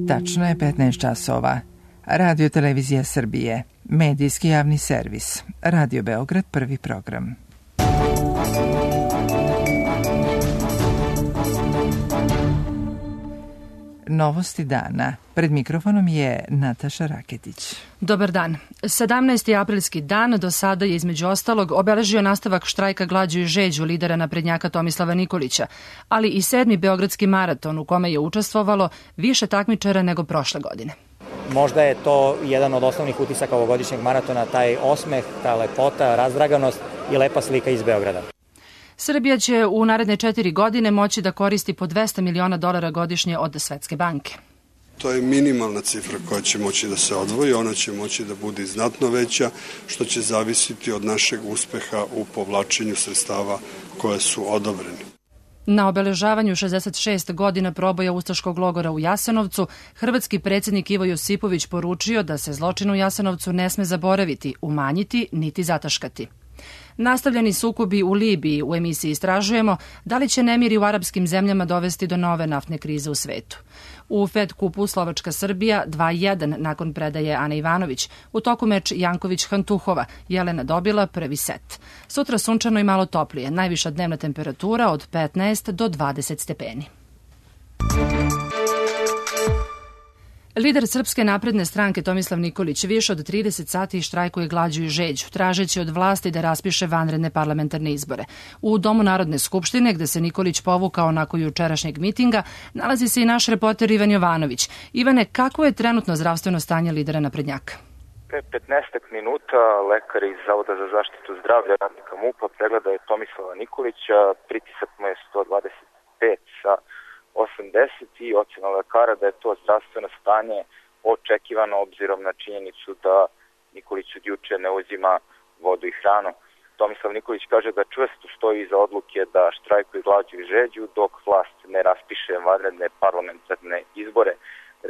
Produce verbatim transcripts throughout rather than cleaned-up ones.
Tačno je petnaest časova. Radio Televizija Srbije, medijski javni servis, Radio Beograd, prvi program. Novosti dana. Pred mikrofonom je Nataša Raketić. Dobar dan. sedamnaesti aprilski dan do sada je između ostalog obeležio nastavak štrajka glađu i žeđu lidera naprednjaka Tomislava Nikolića, ali i sedmi beogradski maraton u kome je učestvovalo više takmičara nego prošle godine. Možda je to jedan od osnovnih utisaka ovogodišnjeg maratona, taj osmeh, ta lepota, razdraganost i lepa slika iz Beograda. Srbija će u naredne četiri godine moći da koristi po dvesta miliona dolara godišnje od Svetske banke. To je minimalna cifra koja će moći da se odvoji, ona će moći da bude znatno veća, što će zavisiti od našeg uspeha u povlačenju sredstava koje su odobreni. Na obeležavanju šezdeset šest godina proboja ustaškog logora u Jasenovcu, hrvatski predsjednik Ivo Josipović poručio da se zločin u Jasenovcu ne sme zaboraviti, umanjiti niti zataškati. Nastavljeni sukobi u Libiji, u emisiji istražujemo da li će nemiri u arapskim zemljama dovesti do nove naftne krize u svetu. U Fed kupu Slovačka-Srbija dva jedan nakon predaje Ane Ivanović. U toku meč Janković-Hantuhova, Jelena dobila prvi set. Sutra sunčano i malo toplije, najviša dnevna temperatura od petnaest do dvadeset stepeni. Lider Srpske napredne stranke Tomislav Nikolić više od trideset sati štrajkuje glađu i žeđu, tražeći od vlasti da raspiše vanredne parlamentarne izbore. U Domu Narodne skupštine, gde se Nikolić povukao nakon jučerašnjeg mitinga, nalazi se i naš reporter Ivan Jovanović. Ivane, kako je trenutno zdravstveno stanje lidera naprednjaka? Pre petnaest minuta lekar iz Zavoda za zaštitu zdravlja radnika MUP-a pregleda je Tomislava Nikolića, pritisak mu je sto dvadeset pet sa osamdeset i ocena lekara da je to zdravstveno stanje očekivano obzirom na činjenicu da Nikolić od juče ne uzima vodu i hranu. Tomislav Nikolić kaže da čvrsto stoji iza odluke da štrajkuje glađu i žeđu dok vlast ne raspiše vanredne parlamentarne izbore.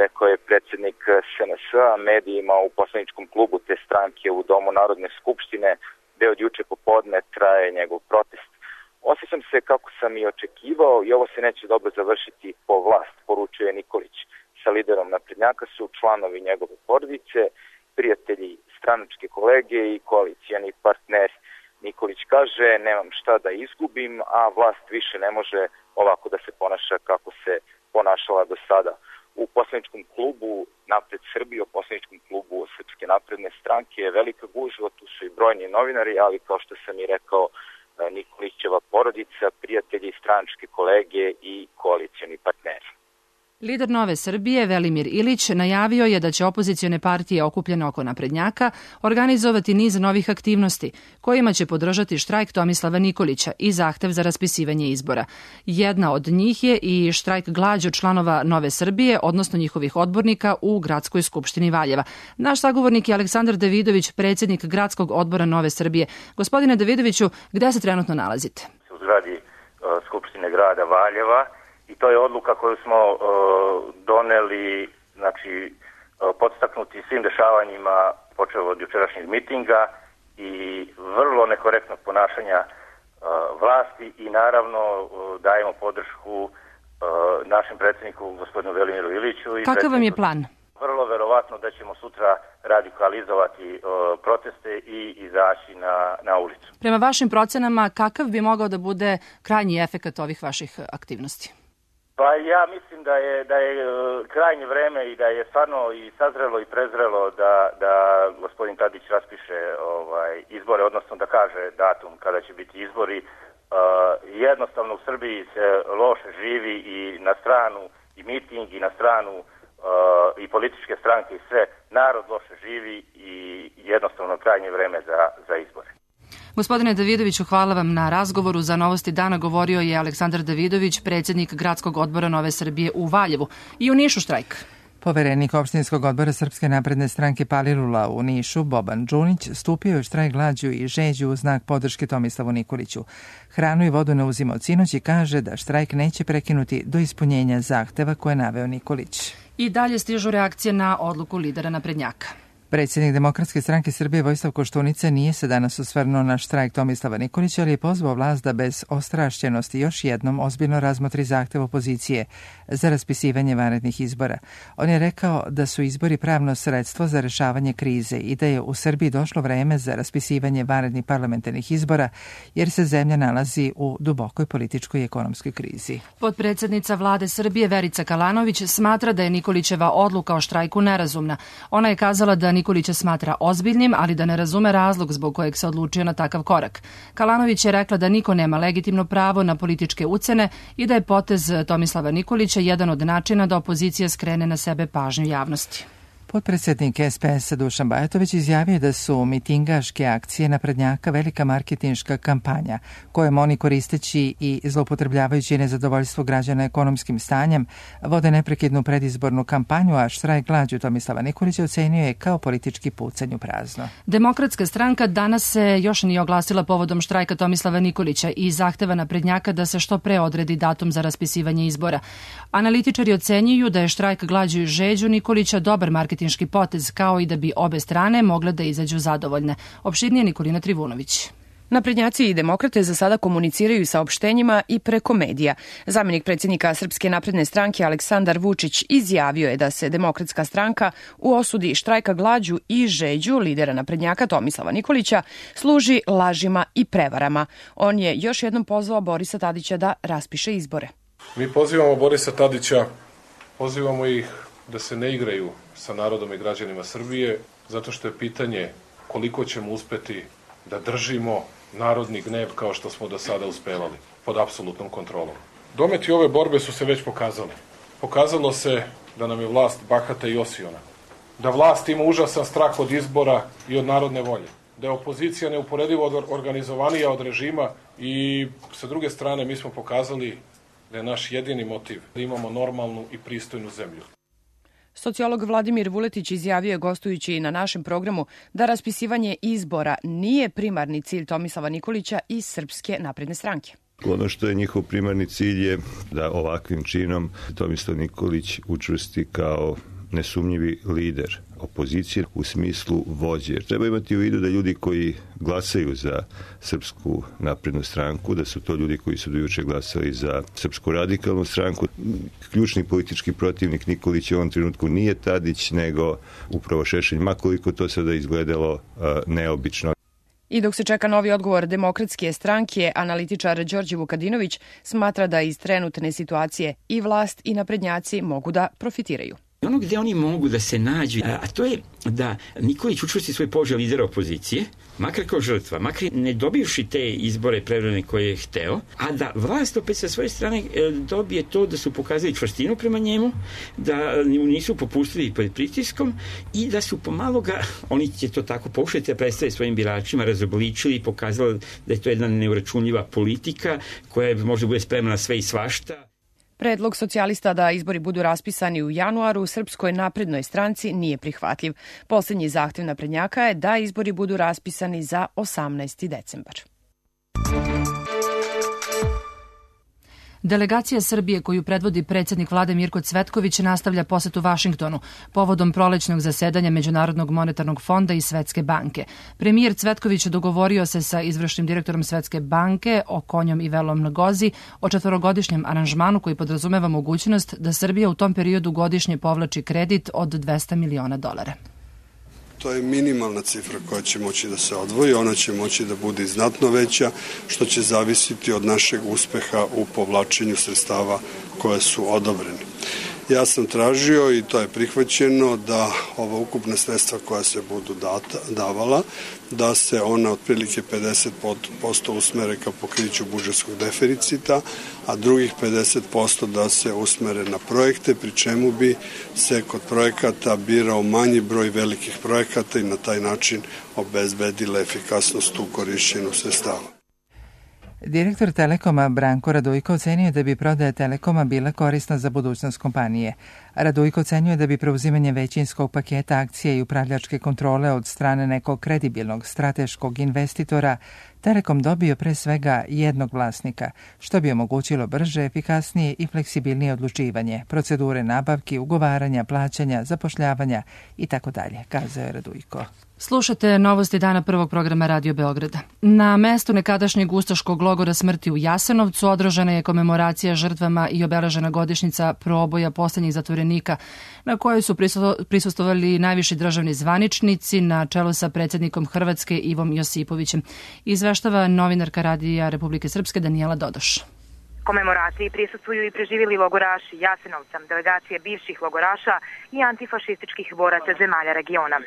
Rekao je predsjednik S N S-a medijima u poslaničkom klubu te stranke u Domu Narodne skupštine, gde od juče popodne traje njegov protest. Osjećam se kako sam i očekivao i ovo se neće dobro završiti po vlast, poručuje Nikolić. Sa liderom naprednjaka su članovi njegove porodice, prijatelji, stranačke kolege i koalicijani partneri. Nikolić kaže, nemam šta da izgubim, a vlast više ne može ovako da se ponaša kako se ponašala do sada. U poslaničkom klubu Napred Srbije, u poslaničkom klubu Srpske napredne stranke je velika gužva, tu su i brojni novinari, ali kao što sam i rekao, Nikolićeva porodica, prijatelji, stranačke kolege i koalicijani partneri. Lider Nove Srbije, Velimir Ilić, najavio je da će opozicione partije okupljene oko naprednjaka organizovati niz novih aktivnosti, kojima će podržati štrajk Tomislava Nikolića i zahtev za raspisivanje izbora. Jedna od njih je i štrajk glađu članova Nove Srbije, odnosno njihovih odbornika u Gradskoj skupštini Valjeva. Naš sagovornik je Aleksandar Davidović, predsjednik Gradskog odbora Nove Srbije. Gospodine Davidoviću, gde se trenutno nalazite? U zgradi uh, Skupštine grada Valjeva. I to je odluka koju smo uh, doneli, znači, uh, podstaknuti svim dešavanjima počeo od jučerašnjeg mitinga i vrlo nekorektnog ponašanja uh, vlasti i naravno uh, dajemo podršku uh, našem predsjedniku, gospodinu Velimiru Iliću. I kakav vam je plan? Vrlo verovatno da ćemo sutra radikalizovati uh, proteste i izaći na, na ulicu. Prema vašim procenama, kakav bi mogao da bude krajnji efekat ovih vaših aktivnosti? Pa ja mislim da je da je krajnje vreme i da je stvarno i sazrelo i prezrelo da da gospodin Tadić raspiše ovaj izbore, odnosno da kaže datum kada će biti izbori. Uh, jednostavno u Srbiji se loše živi i na stranu i miting i na stranu uh, i političke stranke i sve, narod loše živi i jednostavno krajnje vreme za za izbore. Gospodine Davidoviću, hvala vam na razgovoru. Za Novosti dana govorio je Aleksandar Davidović, predsjednik Gradskog odbora Nove Srbije u Valjevu. I u Nišu štrajk. Poverenik opštinskog odbora Srpske napredne stranke Palilula u Nišu, Boban Đunić, stupio je u štrajk glađu i žeđu u znak podrške Tomislavu Nikoliću. Hranu i vodu ne uzima od sinoć i kaže da štrajk neće prekinuti do ispunjenja zahteva koje je naveo Nikolić. I dalje stižu reakcije na odluku lidera naprednjaka. Predsjednik Demokratske stranke Srbije Vojislav Koštunica nije se danas osvrnuo na štrajk Tomislava Nikolića, ali je pozvao vlast da bez ostrašćenosti još jednom ozbiljno razmotri zahtev opozicije za raspisivanje vanrednih izbora. On je rekao da su izbori pravno sredstvo za rešavanje krize i da je u Srbiji došlo vreme za raspisivanje vanrednih parlamentarnih izbora, jer se zemlja nalazi u dubokoj političkoj i ekonomskoj krizi. Potpredsjednica vlade Srbije Verica Kalanović smatra da je Nikolićeva odluka o štrajku nerazumna. Ona je kazala da Nikolića smatra ozbiljnim, ali da ne razume razlog zbog kojeg se odlučio na takav korak. Kalanović je rekla da niko nema legitimno pravo na političke ucene i da je potez Tomislava Nikolića jedan od načina da opozicija skrene na sebe pažnju javnosti. Potpredsjednik S P S-a Dušan Bajatović izjavio da su mitingaške akcije naprednjaka velika marketinška kampanja, kojom oni koristeći i zloupotrebljavajući nezadovoljstvo građana ekonomskim stanjem vode neprekidnu predizbornu kampanju, a štrajk glađu Tomislava Nikolića ocenio je kao politički pucanj u prazno. Demokratska stranka danas se još nije oglasila povodom štrajka Tomislava Nikolića i zahteva naprednjaka da se što pre odredi datum za raspisivanje izbora. Analitičari ocenjuju da je štrajk glađu i žeđu Nikolića dobar marketinški potez, kao i da bi obe strane mogle da izađu zadovoljne. Opširnije Nikolina Trivunović. Naprednjaci i demokrate za sada komuniciraju saopštenjima i preko medija. Zamenik predsjednika Srpske napredne stranke Aleksandar Vučić izjavio je da se Demokratska stranka u osudi štrajka glađu i žeđu lidera naprednjaka Tomislava Nikolića služi lažima i prevarama. On je još jednom pozvao Borisa Tadića da raspiše izbore. Mi pozivamo Borisa Tadića, pozivamo ih da se ne igraju sa narodom i građanima Srbije, zato što je pitanje koliko ćemo uspeti da držimo narodni gnev kao što smo do sada uspevali, pod apsolutnom kontrolom. Dometi ove borbe su se već pokazali. Pokazalo se da nam je vlast bahata i osiona, da vlast ima užasan strah od izbora i od narodne volje, da je opozicija neuporedivo organizovanija od režima i sa druge strane mi smo pokazali da je naš jedini motiv da imamo normalnu i pristojnu zemlju. Sociolog Vladimir Vuletić izjavio je gostujući na našem programu da raspisivanje izbora nije primarni cilj Tomislava Nikolića i Srpske napredne stranke. Ono što je njihov primarni cilj je da ovakvim činom Tomislav Nikolić učvrsti kao nesumnjivi lider opozicije u smislu vođe. Treba imati u vidu da ljudi koji glasaju za Srpsku naprednu stranku, da su to ljudi koji su do juče glasali za Srpsku radikalnu stranku. Ključni politički protivnik Nikolića u ovom trenutku nije Tadić, nego upravo Šešelj, makoliko to sada izgledalo uh, neobično. I dok se čeka novi odgovor Demokratske stranke, analitičar Đorđe Vukadinović smatra da iz trenutne situacije i vlast i naprednjaci mogu da profitiraju. Ono gde oni mogu da se nađu, a to je da Nikolić učvrsti svoj položaj lidera opozicije, makar kao žrtva, makar ne dobivši te izbore prevremene koje je hteo, a da vlast opet sa svoje strane dobije to da su pokazali čvrstinu prema njemu, da nisu popustili pred pritiskom i da su pomalo ga, oni će to tako pokušati da predstave svojim biračima, razobličili i pokazali da je to jedna neuračunljiva politika koja može bude spremna na sve i svašta. Predlog socijalista da izbori budu raspisani u januaru u Srpskoj naprednoj stranci nije prihvatljiv. Posljednji zahtev naprednjaka je da izbori budu raspisani za osamnaesti decembar. Delegacija Srbije koju predvodi predsjednik vlade Mirko Cvetković nastavlja posetu Vašingtonu povodom prolećnog zasedanja Međunarodnog monetarnog fonda i Svetske banke. Premijer Cvetković dogovorio se sa izvršnim direktorom Svetske banke Okonjom i Velom Ngozi o četvorogodišnjem aranžmanu koji podrazumeva mogućnost da Srbija u tom periodu godišnje povlači kredit od dvesta miliona dolara. To je minimalna cifra koja će moći da se odvoji, ona će moći da bude znatno veća, što će zavisiti od našeg uspeha u povlačenju sredstava koje su odobrene. Ja sam tražio i to je prihvaćeno da ova ukupna sredstva koja se budu data, davala, da se ona otprilike pedeset posto usmere ka pokriću budžetskog deficita, a drugih pedeset posto da se usmere na projekte, pri čemu bi se kod projekata birao manji broj velikih projekata i na taj način obezbedila efikasnost u korišćenju sredstava. Direktor Telekoma Branko Radujko ocenio da bi prodaja Telekoma bila korisna za budućnost kompanije. Radujko ocenjuje da bi preuzimanje većinskog paketa akcija i upravljačke kontrole od strane nekog kredibilnog strateškog investitora Telekom dobio pre svega jednog vlasnika, što bi omogućilo brže, efikasnije i fleksibilnije odlučivanje, procedure nabavki, ugovaranja, plaćanja, zapošljavanja itd., kazao je Radujko. Slušate novosti dana prvog programa Radio Beograda. Na mestu nekadašnjeg ustaškog logora smrti u Jasenovcu održana je komemoracija žrtvama i obeležena godišnjica proboja poslednjih zatvorenika, na kojoj su prisustvovali najviši državni zvaničnici na čelu sa predsjednikom Hrvatske Ivom Josipovićem. Izveštava novinarka Radija Republike Srpske Danijela Dodoš. Komemoraciji prisustvuju i preživjeli logoraši Jasenovca, delegacije bivših logoraša i antifašističkih boraca zemalja regiona.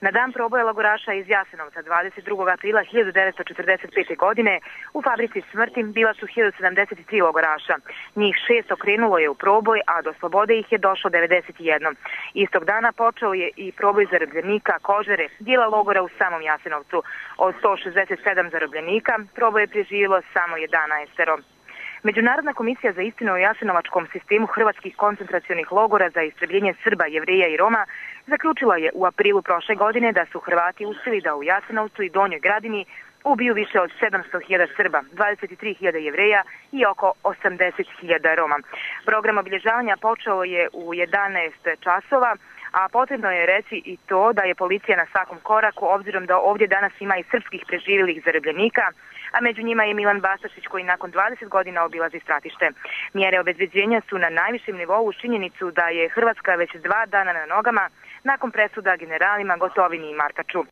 Na dan proboja logoraša iz Jasenovca dvadeset drugog aprila hiljadu devetsto četrdeset pete. godine u fabrici smrti bila su hiljadu sedamdeset tri logoraša. Njih šest okrenulo je u proboj, a do slobode ih je došlo devedeset jedan. Istog dana počeo je i proboj zarobljenika Kožare, dijela logora u samom Jasenovcu. Od sto šezdeset sedam zarobljenika proboj je preživjelo samo jedanaestero. Međunarodna komisija za istinu o jasenovačkom sistemu hrvatskih koncentracionih logora za istrebljenje Srba, Jevreja i Roma zaključila je u aprilu prošle godine da su Hrvati uspjeli da u Jasenovcu i Donjoj Gradini ubiju više od sedamsto hiljada Srba, dvadeset tri hiljade Jevreja i oko osamdeset hiljada Roma. Program obilježavanja počeo je u jedanaest časova, a potrebno je reći i to da je policija na svakom koraku, obzirom da ovdje danas ima i srpskih preživjelih zarobljenika, a među njima je Milan Bastašić koji nakon dvadeset godina obilazi stratište. Mjere obezbeđenja su na najvišem nivou uz činjenicu da je Hrvatska već dva dana na nogama nakon presuda generalima Gotovini i Markaču.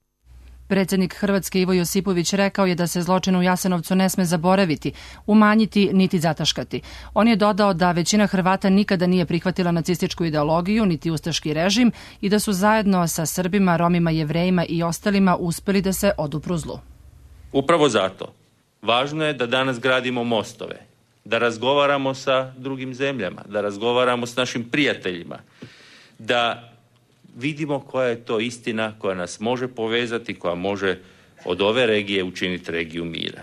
Predsjednik Hrvatske Ivo Josipović rekao je da se zločin u Jasenovcu ne sme zaboraviti, umanjiti niti zataškati. On je dodao da većina Hrvata nikada nije prihvatila nacističku ideologiju niti ustaški režim i da su zajedno sa Srbima, Romima, Jevrejima i ostalima uspjeli da se odupru zlu. Upravo zato važno je da danas gradimo mostove, da razgovaramo sa drugim zemljama, da razgovaramo s našim prijateljima, da vidimo koja je to istina koja nas može povezati, koja može od ove regije učiniti regiju mira.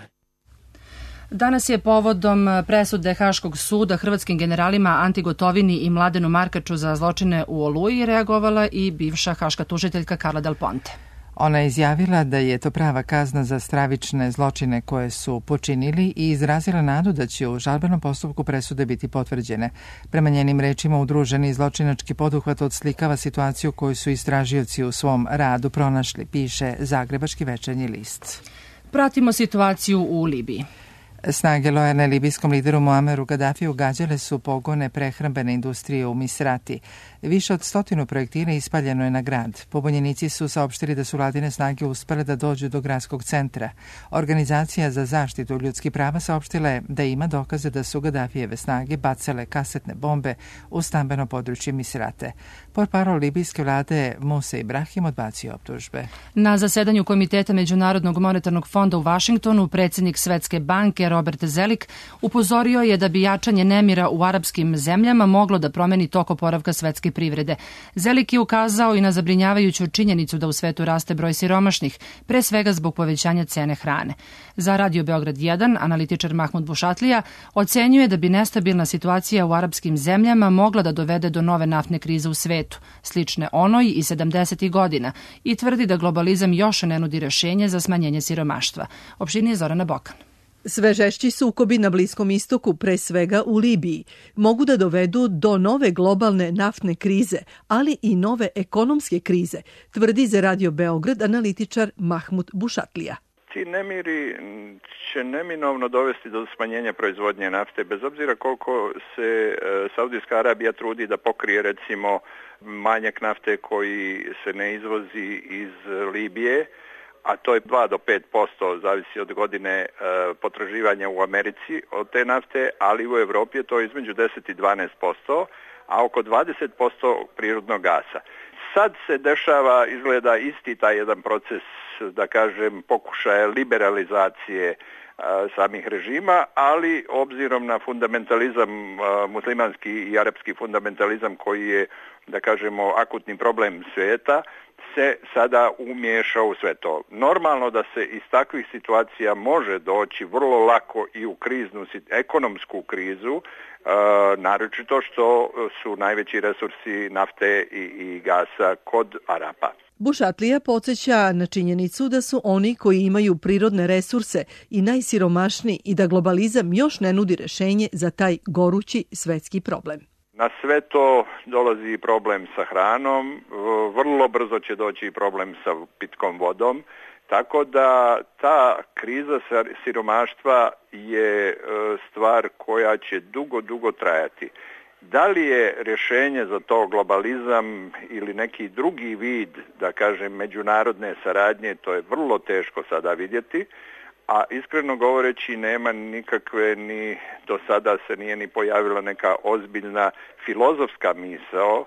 Danas je povodom presude Haškog suda hrvatskim generalima Anti Gotovini i Mladenu Markaču za zločine u Oluji reagovala i bivša haška tužiteljka Carla Del Ponte. Ona je izjavila da je to prava kazna za stravične zločine koje su počinili i izrazila nadu da će u žalbenom postupku presude biti potvrđene. Prema njenim rečima, udruženi zločinački poduhvat odslikava situaciju koju su istražioci u svom radu pronašli, piše Zagrebački večernji list. Pratimo situaciju u Libiji. Snage lojalne libijskom lideru Muameru Gaddafiju gađale su pogone prehrambene industrije u Misrati. Više od stotinu projektila ispaljeno je na grad. Pobunjenici su saopštili da su vladine snage uspele da dođu do gradskog centra. Organizacija za zaštitu ljudskih prava saopštila je da ima dokaze da su Gaddafijeve snage bacale kasetne bombe u stambeno područje Misrate. Portparol libijske vlade Musa Ibrahim odbacio optužbe. Na zasedanju Komiteta Međunarodnog monetarnog fonda u Vašingtonu predsjednik Svetske banke Robert Zelik upozorio je da bi jačanje nemira u arapskim zemljama moglo da promeni tok oporavka svetske privrede. Zelik je ukazao i na zabrinjavajuću činjenicu da u svetu raste broj siromašnih, pre svega zbog povećanja cene hrane. Za Radio Beograd jedan, analitičar Mahmud Bušatlija ocenjuje da bi nestabilna situacija u arapskim zemljama mogla da dovede do nove naftne krize u svetu, slične onoj i sedamdesetih godina, i tvrdi da globalizam još ne nudi rješenje za smanjenje siromaštva. Opširnije Zorana Bokan. Sve žešći sukobi na Bliskom istoku, pre svega u Libiji, mogu da dovedu do nove globalne naftne krize, ali i nove ekonomske krize, tvrdi za Radio Beograd analitičar Mahmud Bušatlija. Ti nemiri će neminovno dovesti do smanjenja proizvodnje nafte, bez obzira koliko se Saudijska Arabija trudi da pokrije recimo manjak nafte koji se ne izvozi iz Libije, a to je dva do pet posto, zavisi od godine e, potraživanja u Americi od te nafte, ali u Evropi je to između deset i dvanaest posto, a oko dvadeset posto prirodnog gasa. Sad se dešava, izgleda isti taj jedan proces, da kažem, pokušaja liberalizacije samih režima, ali obzirom na fundamentalizam, muslimanski i arapski fundamentalizam koji je, da kažemo, akutni problem svijeta, se sada umiješao u sve to. Normalno da se iz takvih situacija može doći vrlo lako i u kriznu, ekonomsku krizu, naročito što su najveći resursi nafte i, i gasa kod Arapa. Bušatlija podsjeća na činjenicu da su oni koji imaju prirodne resurse i najsiromašniji i da globalizam još ne nudi rešenje za taj gorući svetski problem. Na sve to dolazi problem sa hranom, vrlo brzo će doći problem sa pitkom vodom, tako da ta kriza siromaštva je stvar koja će dugo, dugo trajati. Da li je rješenje za to globalizam ili neki drugi vid, da kažem, međunarodne saradnje, to je vrlo teško sada vidjeti, a iskreno govoreći nema nikakve, ni do sada se nije ni pojavila neka ozbiljna filozofska misao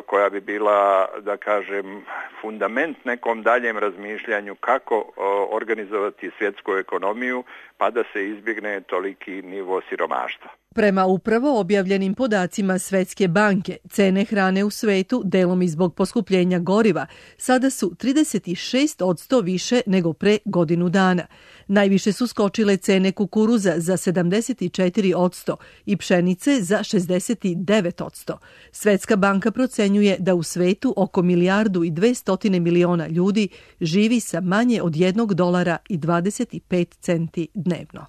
koja bi bila, da kažem, fundament nekom daljem razmišljanju kako organizovati svjetsku ekonomiju pa da se izbjegne toliki nivo siromaštva. Prema upravo objavljenim podacima Svetske banke, cene hrane u svetu, delom i zbog poskupljenja goriva, sada su trideset šest posto više nego pre godinu dana. Najviše su skočile cene kukuruza za sedamdeset četiri posto i pšenice za šezdeset devet posto. Svetska banka procenjuje da u svetu oko milijardu i dvesta miliona ljudi živi sa manje od jednog dolara i dvadeset pet centi dnevno.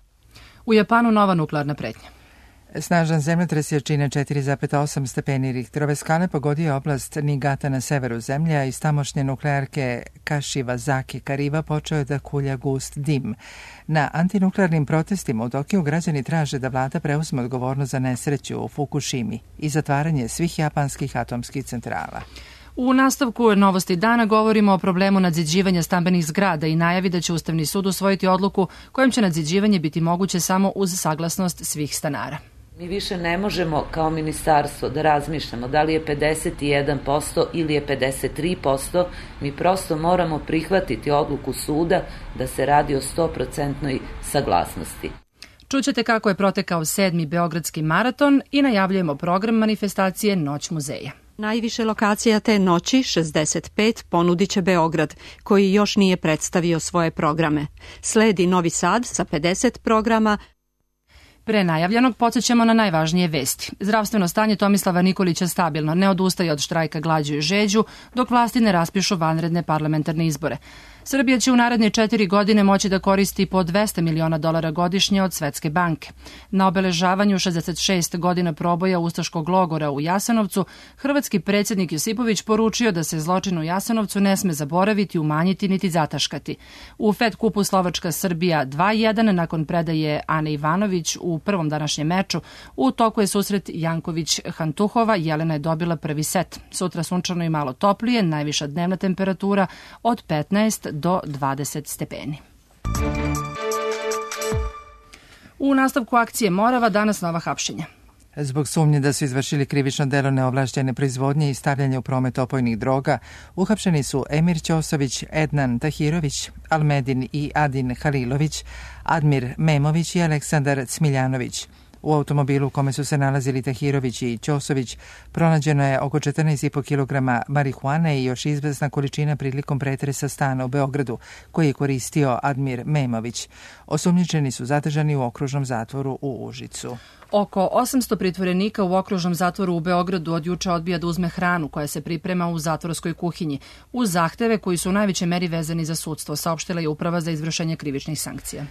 U Japanu nova nuklearna pretnja. Snažan zemljotres jačine četiri zarez osam stepeni Richterove skale pogodio oblast Niigata na severu zemlje, a iz tamošnje nuklearke Kashiwazaki Kariwa počeo je da kulja gust dim. Na antinuklearnim protestima u Tokiju građani traže da vlada preuzme odgovornost za nesreću u Fukushimi i zatvaranje svih japanskih atomskih centrala. U nastavku novosti dana govorimo o problemu nadziđivanja stambenih zgrada i najavi da će Ustavni sud usvojiti odluku kojom će nadziđivanje biti moguće samo uz saglasnost svih stanara. Mi više ne možemo kao ministarstvo da razmišljamo da li je pedeset jedan posto ili je pedeset tri posto, mi prosto moramo prihvatiti odluku suda da se radi o sto posto saglasnosti. Čućete kako je protekao sedmi Beogradski maraton i najavljujemo program manifestacije Noć muzeja. Najviše lokacija te noći, šezdeset pet, ponudit će Beograd, koji još nije predstavio svoje programe. Sledi Novi Sad sa pedeset programa. Pre najavljenog podsjećamo na najvažnije vesti. Zdravstveno stanje Tomislava Nikolića stabilno, ne odustaje od štrajka glađu i žeđu, dok vlasti ne raspišu vanredne parlamentarne izbore. Srbija će u naredne četiri godine moći da koristi po dvesta miliona dolara godišnje od Svetske banke. Na obeležavanju šezdeset šest godina proboja ustaškog logora u Jasenovcu, hrvatski predsjednik Josipović poručio da se zločin u Jasenovcu ne sme zaboraviti, umanjiti niti zataškati. U Fed kupu Slovačka Srbija dva jedan nakon predaje Ane Ivanović u prvom današnjem meču. U toku je susret Janković-Hantuhova, Jelena je dobila prvi set. Sutra sunčano i malo toplije, najviša dnevna temperatura od petnaest do dvadeset stepeni. U nastavku akcije Morava danas nova hapšenja. Zbog sumnje da su izvršili krivično delo neovlašćene proizvodnje i stavljanje u promet opojnih droga, uhapšeni su Emir Ćosović, Ednan Tahirović, Almedin i Adin Halilović, Admir Memović i Aleksandar Cmiljanović. U automobilu u kome su se nalazili Tahirović i Ćosović pronađeno je oko četrnaest i po kilograma marihuane i još izvesna količina prilikom pretresa stana u Beogradu, koji je koristio Admir Memović. Osumnjičeni su zadržani u okružnom zatvoru u Užicu. Oko osamsto pritvorenika u okružnom zatvoru u Beogradu od juče odbija da uzme hranu koja se priprema u zatvorskoj kuhinji, uz zahteve koji su u najvećoj meri vezani za sudstvo, saopštila je Uprava za izvršenje krivičnih sankcija.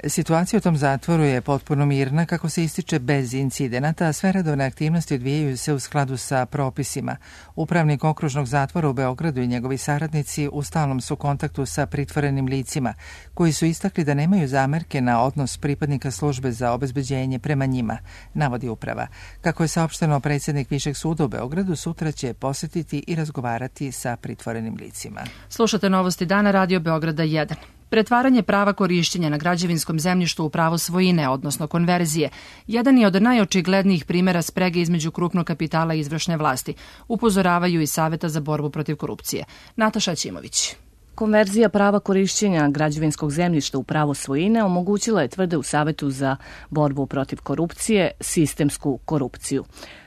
Situacija u tom zatvoru je potpuno mirna, kako se ističe, bez incidenata, a sve redovne aktivnosti odvijaju se u skladu sa propisima. Upravnik okružnog zatvora u Beogradu i njegovi saradnici u stalnom su kontaktu sa pritvorenim licima, koji su istakli da nemaju zamerke na odnos pripadnika službe za obezbeđenje prema njima, navodi uprava. Kako je saopšteno, predsjednik Višeg suda u Beogradu sutra će posjetiti i razgovarati sa pritvorenim licima. Slušate novosti dana Radio Beograda jedan. Pretvaranje prava korišćenja na građevinskom zemljištu u pravo svojine, odnosno konverzije, jedan je od najočiglednijih primjera sprege između krupnog kapitala i izvršne vlasti, upozoravaju i Saveta za borbu protiv korupcije. Nataša Ćimović. Konverzija prava korišćenja građevinskog zemljišta u pravo svojine omogućila je, tvrde u Savetu za borbu protiv korupcije, sistemsku korupciju.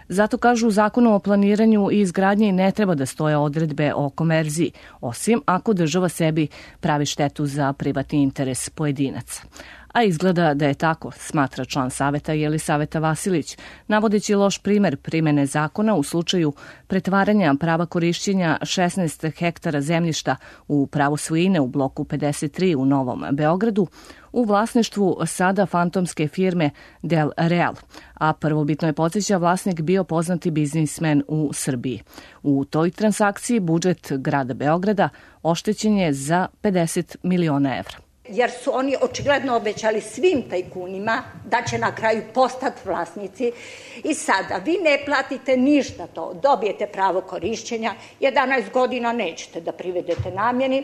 Zato kažu u Zakonu o planiranju i izgradnji ne treba da stoje odredbe o konverziji, osim ako država sebi pravi štetu za privatni interes pojedinaca. A izgleda da je tako, smatra član Saveta Jelisaveta Vasilić, navodeći loš primer primene zakona u slučaju pretvaranja prava korišćenja šesnaest hektara zemljišta u pravo svojine u bloku pedeset tri u Novom Beogradu u vlasništvu sada fantomske firme Del Real, a prvobitno je, podsjeća, vlasnik bio poznati biznismen u Srbiji. U toj transakciji budžet grada Beograda oštećen je za pedeset miliona evra. Jer su oni očigledno obećali svim tajkunima da će na kraju postati vlasnici i sada vi ne platite ništa to, dobijete pravo korišćenja, jedanaest godina nećete da privedete namjeni,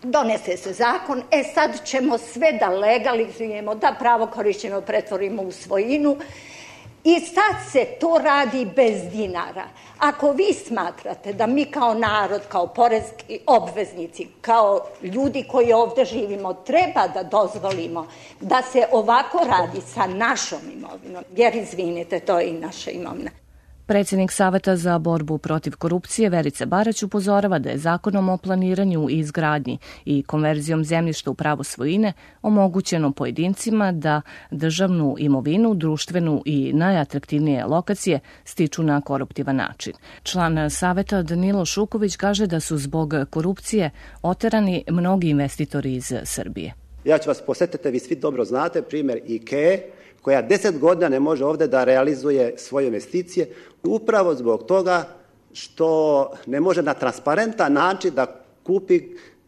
donese se zakon, e sad ćemo sve da legalizujemo, da pravo korišćenja pretvorimo u svojinu i sad se to radi bez dinara. Ako vi smatrate da mi kao narod, kao poreski obveznici, kao ljudi koji ovde živimo, treba da dozvolimo da se ovako radi sa našom imovinom, jer izvinite, to je i naša imovina. Predsjednik Saveta za borbu protiv korupcije Verica Barać upozorava da je Zakonom o planiranju i izgradnji i konverzijom zemljišta u pravo svojine omogućeno pojedincima da državnu imovinu, društvenu i najatraktivnije lokacije stiču na koruptivan način. Član Saveta Danilo Šuković kaže da su zbog korupcije oterani mnogi investitori iz Srbije. Ja ću vas posjetiti, vi svi dobro znate primjer IKEA, koja deset godina ne može ovdje da realizuje svoje investicije, upravo zbog toga što ne može na transparentan način da kupi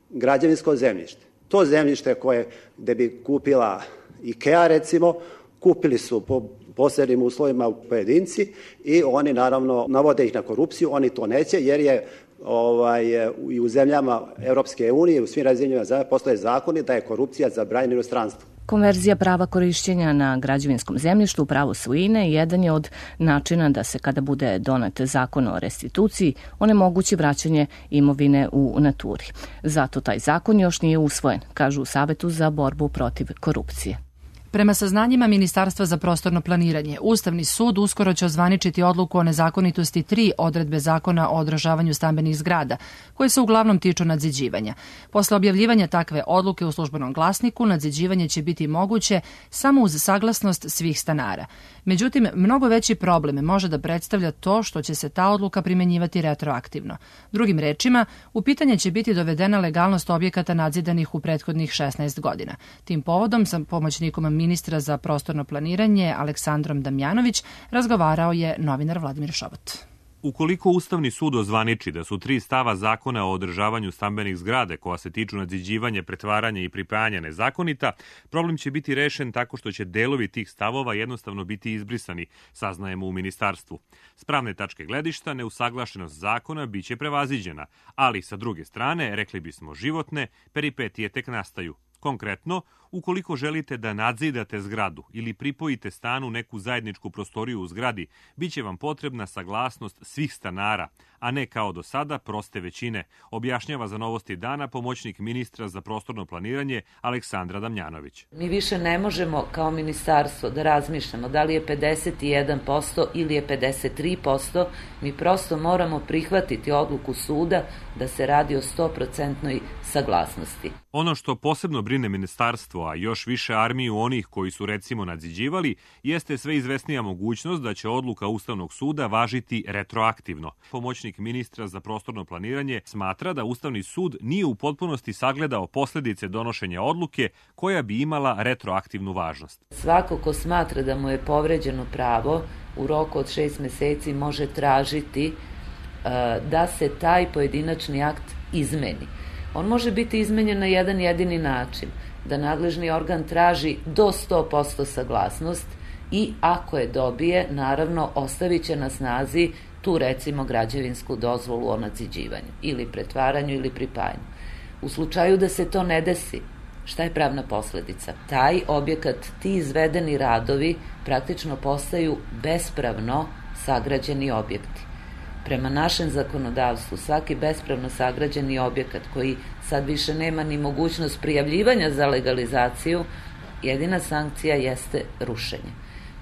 građevinsko zemljište. To zemljište koje gdje bi kupila IKEA recimo, kupili su po posebnim uslovima pojedinci i oni naravno navode ih na korupciju, oni to neće jer je ovaj, i u zemljama Europske unije, u svim razvijenim zemljama postoje zakoni da je korupcija zabranjena u inostranstvu. Konverzija prava korišćenja na građevinskom zemljištu u pravo svojine jedan je od načina da se, kada bude donet zakon o restituciji, onemogući vraćanje imovine u naturi. Zato taj zakon još nije usvojen, kažu u Savetu za borbu protiv korupcije. Prema saznanjima Ministarstva za prostorno planiranje, Ustavni sud uskoro će ozvaničiti odluku o nezakonitosti tri odredbe Zakona o održavanju stambenih zgrada, koje se uglavnom tiču nadziđivanja. Posle objavljivanja takve odluke u službenom glasniku, nadziđivanje će biti moguće samo uz saglasnost svih stanara. Međutim, mnogo veći problem može da predstavlja to što će se ta odluka primenjivati retroaktivno. Drugim rečima, u pitanje će biti dovedena legalnost objekata nadzidanih u prethodnih šesnaest godina. Tim povodom sam pomoćnikom ministra za prostorno planiranje Aleksandrom Damjanović razgovarao je novinar Vladimir Šobot. Ukoliko Ustavni sud ozvaniči da su tri stava Zakona o održavanju stambenih zgrade koja se tiču nadziđivanja, pretvaranja i pripajanja nezakonita, problem će biti rešen tako što će delovi tih stavova jednostavno biti izbrisani, saznajemo u ministarstvu. S pravne tačke gledišta, neusaglašenost zakona biće prevaziđena, ali sa druge strane, rekli bismo životne, peripetije tek nastaju. Konkretno, ukoliko želite da nadzidate zgradu ili pripojite stanu neku zajedničku prostoriju u zgradi, bit će vam potrebna saglasnost svih stanara, a ne kao do sada proste većine, objašnjava za Novosti dana pomoćnik ministra za prostorno planiranje Aleksandra Damjanović. Mi više ne možemo kao ministarstvo da razmišljamo da li je pedeset jedan posto ili je pedeset tri posto, mi prosto moramo prihvatiti odluku suda da se radi o sto posto saglasnosti. Ono što posebno brine ministarstvo, a još više armiju onih koji su recimo nadziđivali, jeste sve izvesnija mogućnost da će odluka Ustavnog suda važiti retroaktivno. Pomoćnik ministra za prostorno planiranje smatra da Ustavni sud nije u potpunosti sagledao posljedice donošenja odluke koja bi imala retroaktivnu važnost. Svako ko smatra da mu je povređeno pravo u roku od šest meseci može tražiti uh, da se taj pojedinačni akt izmeni. On može biti izmenjen na jedan jedini način, da nadležni organ traži do sto posto saglasnost i ako je dobije, naravno ostavit će na snazi tu recimo građevinsku dozvolu o nadziđivanju ili pretvaranju ili pripajanju. U slučaju da se to ne desi, šta je pravna posledica? Taj objekat, ti izvedeni radovi praktično postaju bespravno sagrađeni objekti. Prema našem zakonodavstvu, svaki bespravno sagrađeni objekat koji sad više nema ni mogućnost prijavljivanja za legalizaciju, jedina sankcija jeste rušenje.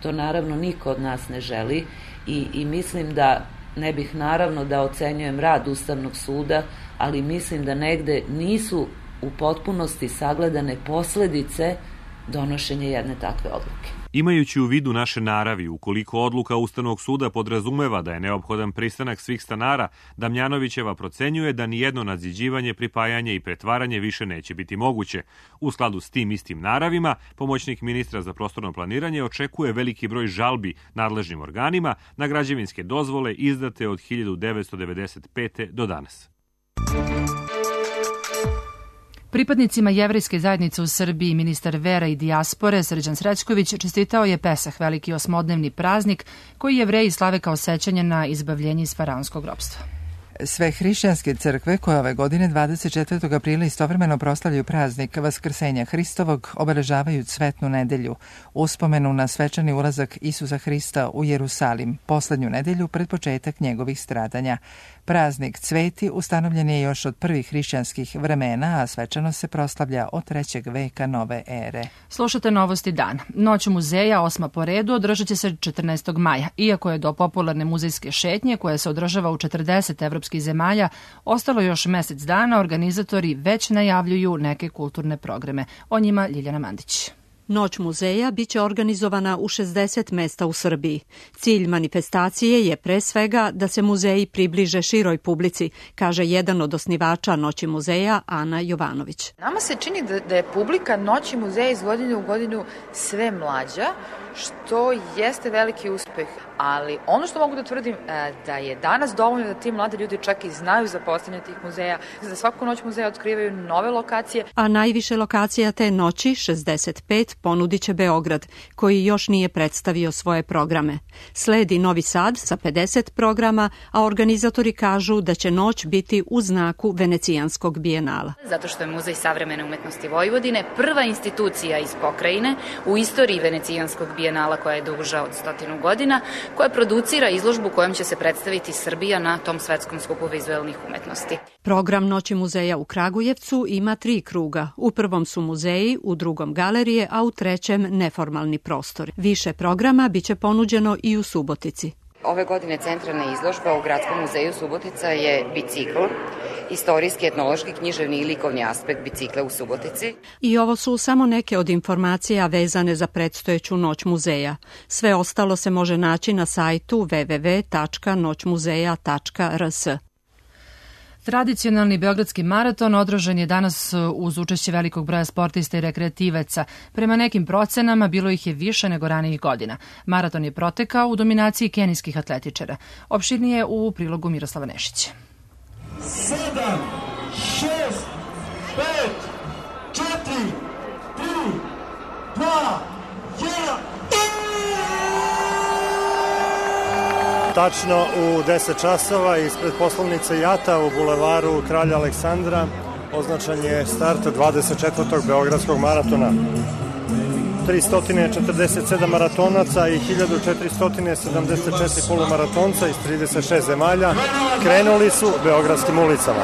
To naravno niko od nas ne želi i, i mislim da ne bih naravno da ocenjujem rad Ustavnog suda, ali mislim da negde nisu u potpunosti sagledane posledice donošenja jedne takve odluke. Imajući u vidu naše naravi, ukoliko odluka Ustavnog suda podrazumeva da je neophodan pristanak svih stanara, Damjanovićeva procenjuje da nijedno nadziđivanje, pripajanje i pretvaranje više neće biti moguće. U skladu s tim istim naravima, pomoćnik ministra za prostorno planiranje očekuje veliki broj žalbi nadležnim organima na građevinske dozvole izdate od hiljadu devetsto devedeset pete. do danas. Pripadnicima jevrejske zajednice u Srbiji ministar vera i dijaspore Srđan Srećković čestitao je Pesah, veliki osmodnevni praznik koji Jevreji slave kao sećanje na izbavljenje iz faraonskog ropstva. Sve hrišćanske crkve koje ove godine dvadeset četvrtog aprila istovremeno proslavljaju praznik Vaskrsenja Hristovog obeležavaju Cvetnu nedelju, uspomenu na svečani ulazak Isusa Hrista u Jerusalim, poslednju nedelju pred početak njegovih stradanja. Praznik Cveti ustanovljen je još od prvih hrišćanskih vremena, a svečano se proslavlja od trećeg veka nove ere. Slušate Novosti dana. Noć muzeja, osma po redu, održat će se četrnaestog maja. Iako je do popularne muzejske šetnje, koja se održava u četrdeset evropskih zemalja, ostalo još mesec dana, organizatori već najavljuju neke kulturne programe. O njima Ljiljana Mandić. Noć muzeja biće organizovana u šezdeset mesta u Srbiji. Cilj manifestacije je pre svega da se muzeji približe široj publici, kaže jedan od osnivača Noći muzeja, Ana Jovanović. Nama se čini da, da je publika Noći muzeja iz godine u godinu sve mlađa, što jeste veliki uspeh. Ali ono što mogu da tvrdim da je danas dovoljno da ti mladi ljudi čak i znaju za postojanje tih muzeja, za svaku noć muzeja otkrivaju nove lokacije. A najviše lokacija te noći, šezdeset pet, ponudit će Beograd, koji još nije predstavio svoje programe. Sledi Novi Sad sa pedeset programa, a organizatori kažu da će noć biti u znaku Venecijanskog bijenala. Zato što je Muzej savremene umetnosti Vojvodine prva institucija iz pokrajine u istoriji Venecijanskog bijenala koja je duža od stotinu godina, koja producira izložbu kojom će se predstaviti Srbija na tom svetskom skupu vizuelnih umetnosti. Program Noći muzeja u Kragujevcu ima tri kruga. U prvom su muzeji, u drugom galerije, a u trećem neformalni prostor. Više programa biće ponuđeno i u Subotici. Ove godine centralna izložba u Gradskom muzeju Subotica je bicikl, istorijski, etnološki, književni i likovni aspekt bicikla u Subotici. I ovo su samo neke od informacija vezane za predstojeću Noć muzeja. Sve ostalo se može naći na sajtu w w w tačka noć muzeja tačka r s. Tradicionalni beogradski maraton održan je danas uz učešće velikog broja sportista i rekreativaca. Prema nekim procenama bilo ih je više nego ranijih godina. Maraton je protekao u dominaciji kenijskih atletičara. Opširnije u prilogu Miroslava Nešića. sedam, šest, pet, četiri, tri, dva, jedan. Tačno u deset časova ispred poslovnice Jata u bulevaru Kralja Aleksandra označen je start dvadeset četvrtog beogradskog maratona. tristo četrdeset sedam maratonaca i hiljadu četiristo sedamdeset četiri polumaratonca iz trideset šest zemalja krenuli su beogradskim ulicama.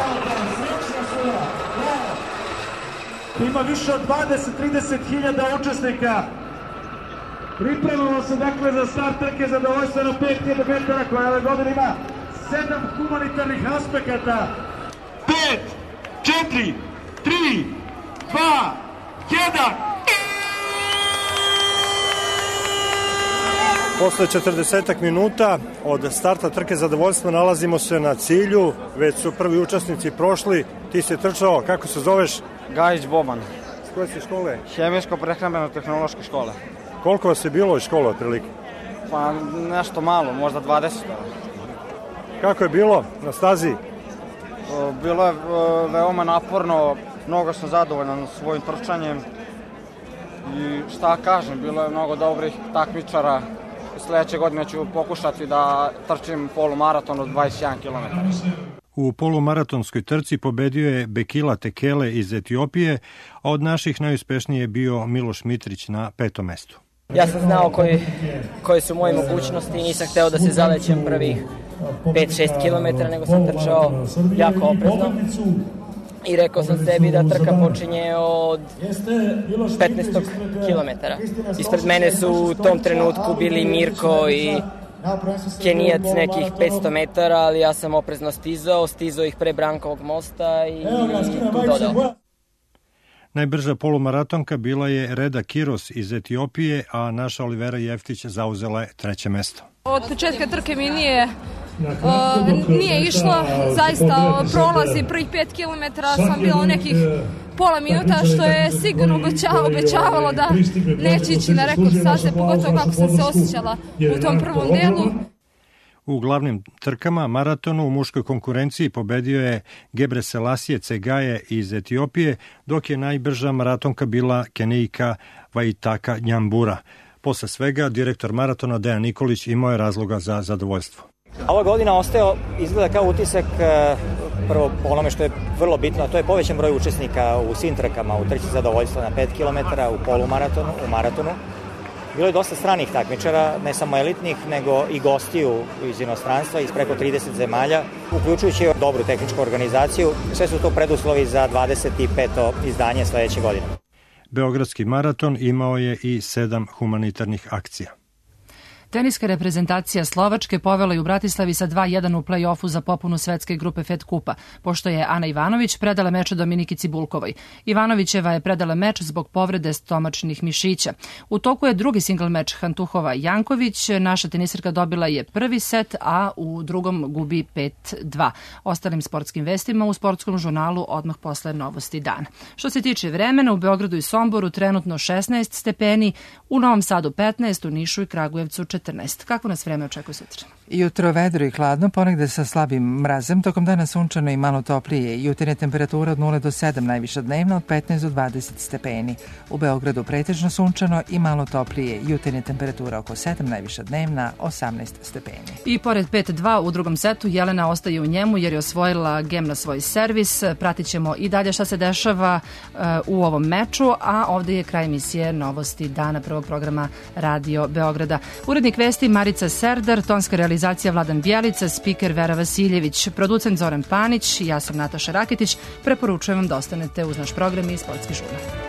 Ima više od dvadeset do trideset hiljada učesnika. Pripremamo se dakle za start trke zadovoljstveno pet hiljada metara koja ove godine ima sedam humanitarnih aspekata. pet, četiri, tri, dva, jedan. Posle četrdeset minuta od starta trke zadovoljstva nalazimo se na cilju, već su prvi učesnici prošli. Ti si trčao, kako se zoveš? Gajić Boban. S koje si škole? Hemijsko-prehrambeno-tehnološke škole. Koliko vas je bilo iz škole otprilike? Pa nešto malo, možda dvadeset. Kako je bilo na stazi? Bilo je veoma naporno, mnogo sam zadovoljan svojim trčanjem i šta kažem, bilo je mnogo dobrih takmičara. Sledeće godine ću pokušati da trčim polumaraton od dvadeset jedan kilometar. U polumaratonskoj trci pobedio je Bekila Tekele iz Etiopije, a od naših najuspešniji je bio Miloš Mitrić na petom mestu. Ja sam znao koji, koji su moje mogućnosti i nisam hteo da se zalećem prvih pet šest kilometara, nego sam trčao jako oprezno. I rekao sam sebi da trka počinje od petnaestog kilometara. Ispred mene su u tom trenutku bili Mirko i Kenijac nekih petsto metara, ali ja sam oprezno stizao, stizao ih pre Brankovog mosta i tu dodao. Najbrža polumaratonka bila je Reda Kiros iz Etiopije, a naša Olivera Jeftić zauzela je treće mesto. Od početka trke mi nije, uh, nije išlo, zaista prolazi prvih pet kilometara sam bila nekih pola minuta, što je sigurno obećavalo da neće ići na rekord staze, pogotovo kako sam se osjećala u tom prvom delu. U glavnim trkama maratonu u muškoj konkurenciji pobedio je Gebre Selassie Tsegaye iz Etiopije, dok je najbrža maratonka bila Kenijka Waitaka Njambura. Posle svega, direktor maratona Dejan Nikolić imao je razloga za zadovoljstvo. Ova godina ostaje, izgleda kao utisak, prvo onome što je vrlo bitno, to je povećan broj učesnika u svim trkama, u trci zadovoljstva na pet kilometara, u polumaratonu, u maratonu. Bilo je dosta stranih takmičara, ne samo elitnih, nego i gostiju iz inostranstva, iz preko trideset zemalja, uključujući dobru tehničku organizaciju. Sve su to preduslovi za dvadeset peto izdanje sledeće godine. Beogradski maraton imao je i sedam humanitarnih akcija. Teniska reprezentacija Slovačke povela je u Bratislavi sa dva jedan u play-offu za popunu svetske grupe Fed kupa, pošto je Ana Ivanović predala meč Dominiki Cibulkovoj. Ivanovićeva je predala meč zbog povrede stomačnih mišića. U toku je drugi singl meč Hantuhova-Janković. Naša tenisirka dobila je prvi set, a u drugom gubi pet dva. Ostalim sportskim vestima u sportskom žurnalu odmah posle novosti dana. Što se tiče vremena, u Beogradu i Somboru trenutno šesnaest stepeni, u Novom Sadu petnaest, u Nišu i Kragujevcu četrnaest. Kako nas vreme očekuje sutra? Jutro vedro i hladno, ponegde sa slabim mrazem, tokom dana sunčano i malo toplije. Jutarnja temperatura od nula do sedam, najviša dnevna od petnaest do dvadeset stepeni. U Beogradu pretežno sunčano i malo toplije. Jutarnja temperatura oko sedam, najviša dnevna osamnaest stepeni. I pored pet dva u drugom setu, Jelena ostaje u njemu jer je osvojila gem na svoj servis. Pratit ćemo i dalje šta se dešava uh, u ovom meču, a ovde je kraj emisije Novosti dana prvog programa Radio Beograda. Urednik vesti Marica Serdar, tonska realizacija Vladan Bjelica, spiker Vera Vasiljević, producent Zoran Panić, ja sam Nataša Raketić. Preporučujem vam da ostanete uz naš program i sportski žurnal.